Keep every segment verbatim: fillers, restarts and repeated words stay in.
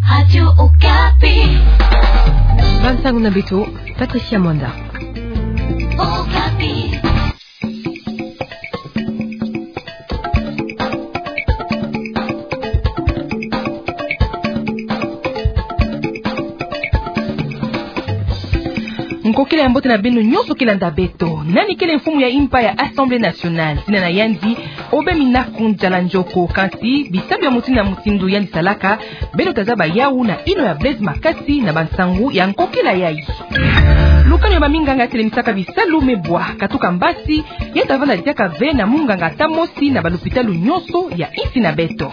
Radio Okapi. Bansango na beto, Patricia Mwanda. Okapi. Nkokila ya mbote na beno nyonso ke landa beto. Nani kele mfumu ya impa ya Assemblée nationale? Zina na yandi Aubin Minaku N'Djala N'Djoko. Kansi bisalu ya mutindu na mutindu yandi salaka, beno ta zaba yawu na ino ya Blaise Makasi na bansangu ya nkokila yayi. Lukanu ya baminganga ya telemisaka bisalu me bwa katuka mbasi, ya ta vanda diaka ve na munganga ata mosi na balupitalu nyonso ya insi na beto.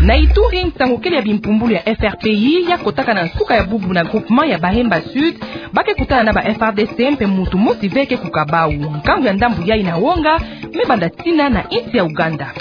Na Ituri, nsangu kele ya bimpumbulu ya F R P I ya kotaka na nsuka ya bubu na groupement ya Bahemba Sud, ba ke kutana na ba F R D C mpe muntu mosi ve ke kuka bawu. Nkangu ya ndambu yayi na wonga, me banda tina na insi ya Ouganda.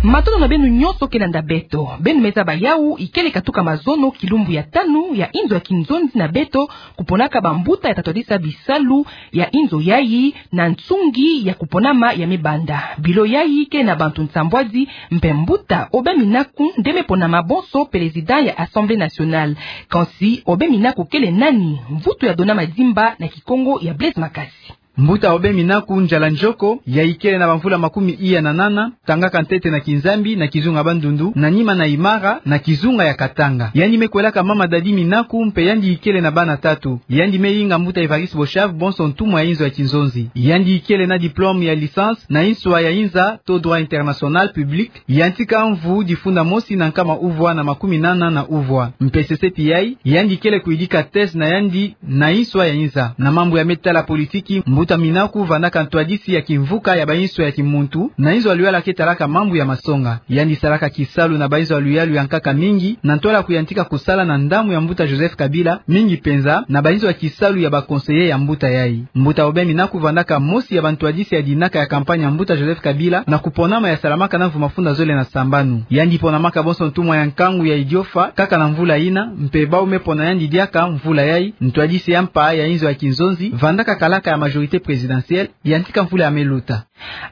Matondo na beno nyonso ke landa beto. Beno me zaba yawu, ikele katuka mazono kilumbu ya tanu ya inzo ya kinzonzi na beto, kuponaka bambuta ya ta twadisa bisalu ya inzo yayi na nsungi ya kuponama ya me banda. Bilo yayi ke na bantu nsambwadi, mpe mbuta Aubin Minaku nde me ponama bonso président ya Assemblée nationale. Kansi Aubin Minaku kele nani? Mvutu ya Dona Madimba na Kikongo ya Blaise Makasi. Mbuta Aubin Minaku N'Djala N'Djoko, ya ikele na bamvula makumi iya na nana, tangaka ntete na Kinzambi na kizunga Bandundu, na nima na Imara na kizunga ya Katanga. Yandi me kwelaka mama Dadi Minaku, mpe yandi ikele na bana tatu. Yandi me inga mbuta Évariste Bochave bonso ntumwa ya inzo ya kinzonzi. Yandi ikele na diplôme ya licence na inswa ya inza to droit international public, yantika mvu difunda mosi na nkama uvwa na makumi nana na uvwa. Mpe seseti yayi, yandi kele kuyidika thèse na yandi na inswa ya inza. Na mambu ya me tala politiki, mbuta Minaku vandaka ntwadisi ya kimvuka ya bainswa ya kimuntu, na inzo ya luyala ke talaka mambu ya masonga. Yandi salaka kisalu na bainzo ya luyalu ya nkaka mingi, na ntwala kuyantika kusala na ndambu ya mbuta Joseph Kabila, mingi penza na bainzo ya kisalu ya ba conseillers ya mbuta yayi. Mbuta Aubin Minaku vandaka mosi ya bantwadisi ya dinaka ya campagne ya mbuta Joseph Kabila, na kuponama ya salamaka na mvu mafunda zole na sambanu. Yandi ponamaka bonso ntumwa ya nkangu ya Idiofa, kaka na mvula yina, mpe bawu me pona yandi diaka mvula yayi, ntwadisi ya mpa ya inzo ya kinzonzi, vandaka kalaka ya majorité présidentielle, yantika mvula ya me luta.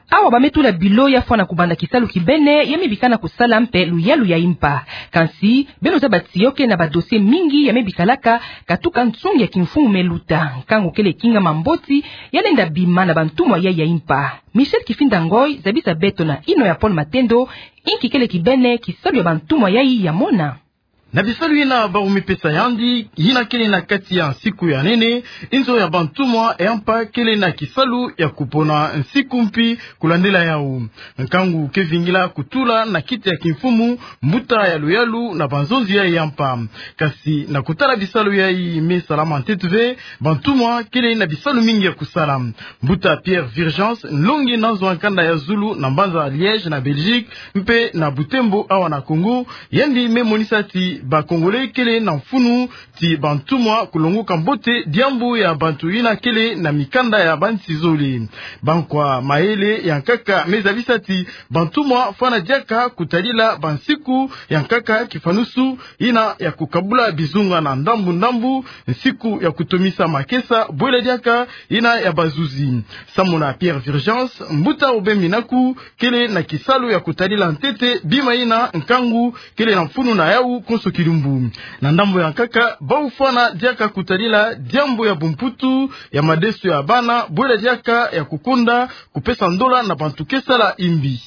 Awa ba me tula bilo ya fwana kubanda kisalu kibene, ya me bika na kusala mpe luyalu ya impa. Kansi, beno zaba ti yo ke na ba dossiers mingi ya me bikalaka, katuka nsungi ya kimfumu me luta. Nkangu kele kingama mboti, ya lenda bima na bantumwa yayi ya impa. Michel Kifinda Ngoy zabisa beto na ino ya Paul Matendo, inki kele kibene kisalu ya bantumwa yayi ya mona. Na bisalu yina bawu me pesa yandi, yina kele na kati ya nsiku ya nene, inzo ya bantumwa ya mpa kele na kisalu ya kupona nsiku mpi kulandila yawu. Nkangu ke vingila kutula na kiti ya kimfumu mbuta ya luyalu na banzonzi yayi ya mpa. Kansi na kutala bisalu yayi me salama ntete ve, bantumwa kele na bisalu mingi ya kusala. Mbuta Pierre Virgence, nlongi na nzo ya nkanda ya zulu na mbanza Liège na Belgique, mpe na Butembo awa na Congo, yandi me monisa ti ba Congolais kele na mfunu ti bantumwa kulongoka mbote diambu ya bantu yina kele na mikanda ya bansi zole. Bankwa mayele ya nkaka me zabisa ti bantumwa fwana diaka kutadila bansiku ya nkaka kifanusu, yina ya kukabula bizunga na ndambu ndambu, nsiku ya kutomisa makesa, bwela diaka yina ya bazuzi. Samu na Pierre Virgence, mbuta Aubin Minaku kele na kisalu ya kutadila ntete bima yina nkangu kele na mfunu na yawu konso kilumbu. Na ndambu ya nkaka, bawu fwana diaka kutadila diambu ya bumputu, ya madesu ya bana, bwela diaka ya kukonda kupesa ndola na bantu ke sala imbi.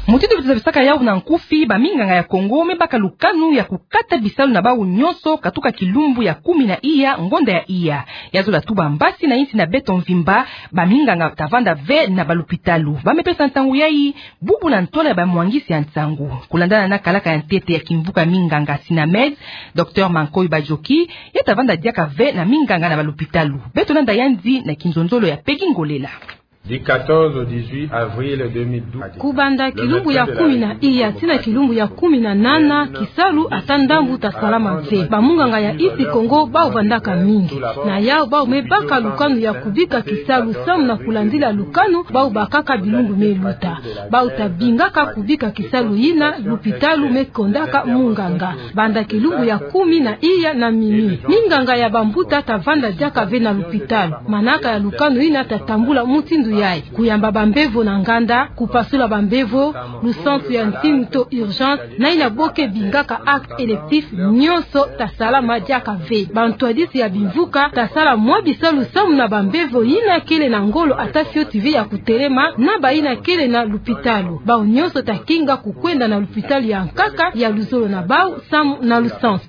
Mutindu beto zabisaka yawu na nkufi, baminganga ya Congo me baka lukanu ya kukata bisalu na bawu nyonso katuka kilumbu ya kumi na iya ngonda ya iya. Ya zola tuba mbasi na insi na beto mvimba, baminganga ta vanda ve na balupitalu. Ba me pesa nsangu yayi bubu na ntwala ya bamwangisi ya nsangu. Kulandana na kalaka ya ntete ya kimvuka minganga Sinamed, Docteur Mankoy Badjoki, ya ta vanda diaka ve na minganga na balupitalu. Beto landa yandi na kinzonzolo ya Peggy Ngolela. Du quatorze au dix-huit avril deux mille douze. Kubanda kilumbu ya kumi na iya tii na kilumbu ya kumi na nana, kisalu ata ndambu ta salama ve. Bamunganga ya Isi Kongo bawu vandaka mingi. Na yawu bawu me baka lukanu ya kubika kisalu samu na kulandila lukanu bawu bakaka bilumbu me luta. Bawu ta bingaka kubika kisalu yina lupitalu me kondaka munganga. Banda kilumbu ya kumi na iya na minuit, minganga ya bambuta ta vanda diaka ve na lupitalu. Manaka ya lukanu yina ta tambula mutindu Yayi, kuyamba bambevo na nganda, kupasula bambevo, lusansu ya ntinu to urgence, na yina bo ke bingaka acte électif, nyonso tasalama diaka ve. Bantwadisi ya bimvuka tasala mwa bisalu samu na bambevo yina kele na ngolo ata fioti ve ya kutelema, na bayina kele na lupitalu. Bawu nyonso takinga kukwenda na lupitalu ya nkaka ya luzolo na bawu samu na lusansu.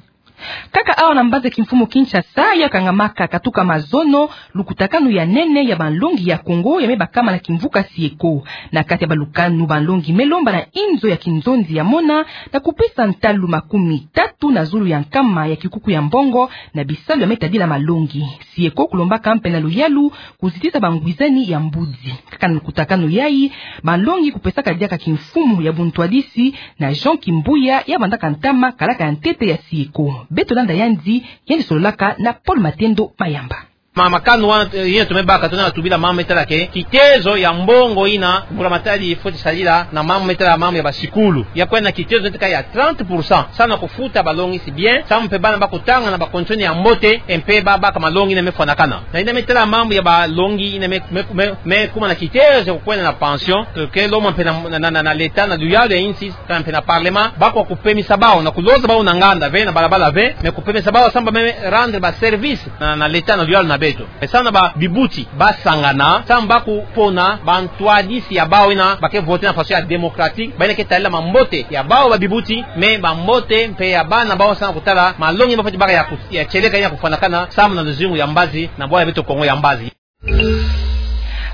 Kaka awa na mbanza kimfumu Kinshasa, ya kangamaka katuka mazono, lukutakanu ya nene ya banlongi ya Kongo ya me bakama na kimvuka SIECO. Na kati ya balukanu, banlongi me lomba na inzo ya kinzonzi ya mona, na kupesa ntalu makumi tatu na zulu ya nkama ya kikuku ya mbongo, na bisalu ya me tadila malongi. SIECO kulombaka mpe na luyalu kuzitisa bangwizani ya mbudi. Kaka na lukutakanu yayi, banlongi kupesaka diaka kimfumu ya buntwadisi na Jean Kimbuya, ya vandaka ntama kalaka ya ntete ya SIECO. Beto landa yandi, yandi sololaka na Paul Matendo Mayamba. Ma, makanu wana, eh, yina tumebaka, tuna tubila mama me tala ke kitezo ya mbongo yina mbulamatadi fweti sadila na mama me tala mama ya basikulu. Ya kwenda na kitezo neti kaka ya trente pour cent. Samu na kufuta balongi si bien, samu mpe bana bakutanga na bacondition ya mbote, mpe babaka malongi yina me fwanakana. Na yina me tala mambu ya balongi yina me, me, me, me kuma na kitezo ya kukwenda na pension, ke lomba mpe na, na, na, na, na l'État, na luyalu ya insi, kana mpe na Parlement, bakwa kupemisa bawu, na kuloza bawu na nganda ve, na balabala ve, me kupemisa bawu samu ba me rendre baservice na, na l'État, na luyalu na beto. E samu na babibuti basangana, samu bakupona bantwadisi ya bawu yina ba ke voter na façon ya démocratique, bayina ke tadila mambote ya bawu babibuti, me mambote mpe ya bana bawu samu na kutala malongi yina bafweti baka ya ku-, ya tieleka yina kufwanakana samu na luzingu ya mbazi, na bwala ya beto Kongo ya mbazi.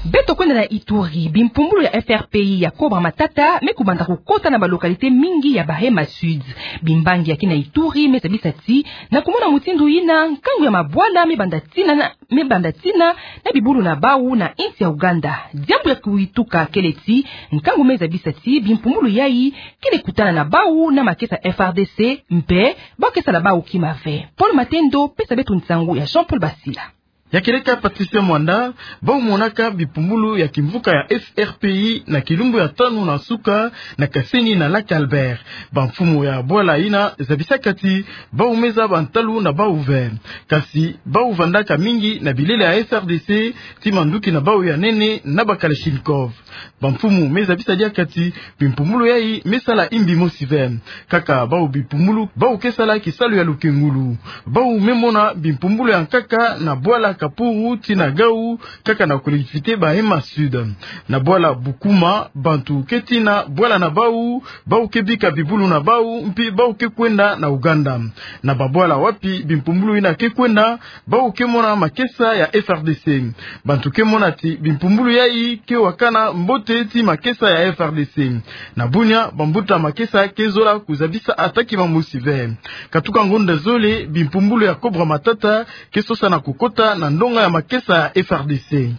Beto kwenda na Ituri, bimpumbulu ya F R P I ya Cobra Matata me kubanda kukota na balocalité mingi ya Bahema Sud. Bimbangi ya kina Ituri me zabisa ti, na kumona mutindu yina nkangu ya mabwala me banda tina na, me banda tina na bibulu na bawu na insi ya Ouganda. Diambu ya kuituka kele ti, nkangu me zabisa ti bimpumbulu yayi kele kutana na bawu na makesa F R D C, mpe bawu ke sala bawu kima ve. Paul Matendo, pesa beto nsangu ya Jean-Paul Basila. Ya kieleka Patricia Mwanda, bawu monaka bimpumbulu ya kimvuka ya F R P I na kilumbu ya tanu na suka na Kaseni na Lac Albert. Bamfumu ya bwala yina zabisaka ti bawu me zaba ntalu na bawu ve. Kasi bawu vandaka mingi na bilele ya F R D C, ti manduki na bawu ya nene na ba Kalachnikov. Bamfumu me zabisa diaka ti bimpumbulu yayi me sala imbi mosi ve. Kaka bawu bimpumbulu, bawu ke sala kisalu ya lukengulu. Bawu me mona bimpumbulu ya nkaka na bwala Kapuru tii na Gao, kaka na collectivité Bahema Sud. Na bwala Bukuma, bantu ke tina bwala na bawu, bawu ke bika bibulu na bawu, mpi bawu ke kwenda na Ouganda. Na babwala wapi bimpumbulu yina ke kwenda, bawu ke mona makesa ya F R D C. Bantu ke mona ti bimpumbulu yayi ke wakana mbote ti makesa ya F R D C. Na Bunia, bambuta makesa ke zola kuzabisa ata kima mosi ve. Katuka ngonda zole, bimpumbulu ya Cobra Matata ke sosa na kukota na ndonga ya makesa ya F R D C.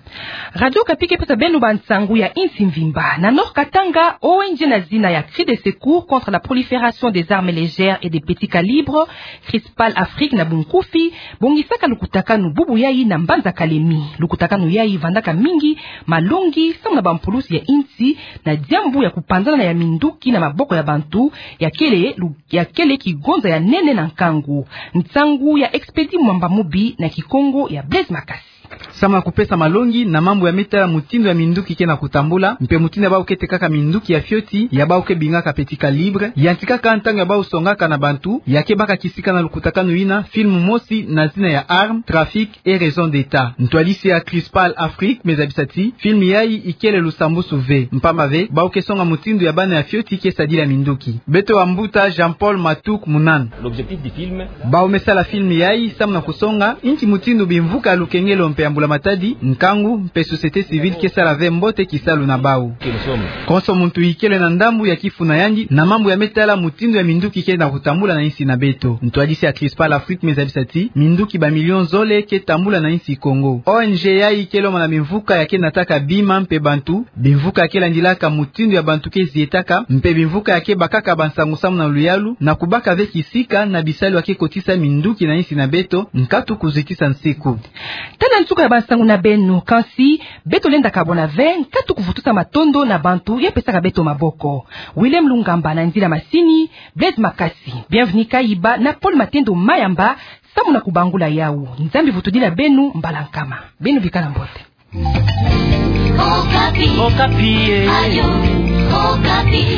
Radio Okapi ke pesa beno bansangu ya insi mvimba. Na Nord Katanga, O N G na zina ya Cri de Secours contre la prolifération des armes légères et des petits calibres, Crispal Afrique na bunkufi, bongisaka lukutakanu bubu yayi na mbanza Kalemi. Lukutakanu yayi vandaka mingi malongi samu na bampulusi ya insi, na diambu ya kupanzana ya minduki na maboko ya bantu, ya kele lu-, ya kele kigonza ya nene na nkangu. Nsangu ya Expedi Mwamba Mubi na Kikongo ya Blaise Makasi. Samu na kupesa malongi na mambu ya me tala mutindu ya minduki ke na kutambula, mpe mutindu ya bawu ke tekaka minduki ya fioti, ya bawu ke bingaka petit calibre, yantikaka ntangu ya bawu songaka na bantu, ya ke baka kisika na lukutakanu yina film mosi na zina ya Armes, Trafic et Raisons d'État. Ntwadisi ya Crispal Afrique me zabisa ti film yayi ikele lusambusu ve, mpamba ve bawu ke songa mutindu ya bana ya fioti ke sadila minduki. Beto wa mbuta Jean-Paul Matuk Munana. L'objectif du film. Bawu me sala film yayi samu na kusonga inki mutindu bimvuka ya lukengelo mpe ya mbulamatadi, nkangu, mpe société civile ke sala ve mbote kisalu na bawu. Konso muntu ikele na ndambu ya kifuna yandi na mambu ya me tala mutindu ya minduki ke na kutambula na insi na beto. Ntwadisi ya Crispal Afrique me zabisa ti minduki ba million zole ke tambula na insi Kongo. O N G yayi ke lomba na bimvuka ya ke nataka bima mpe bantu, bimvuka ya ke landilaka mutindu ya bantu ke zietaka, mpe bimvuka ya ke bakaka bansangu samu na luyalu, na kubaka ve kisika na bisalu ya ke kotisa minduki na insi na beto, nkatu kuzitisa nsiku. Tala nsuka ya bansangu na beno, kansi beto lenda kabwana ve, nkatu kuvutusa matondo na bantu ya pesaka beto maboko. Willem Lungamba na nzila masini, Blaise Makasi, Bienvenu Kayiba na Paul Matendo Mayamba, samu na kubangula yawu. Nzambi vutudila beno mbala nkama. Beno bikala mbote. Okapi. Okapi e. Ayo, Okapi.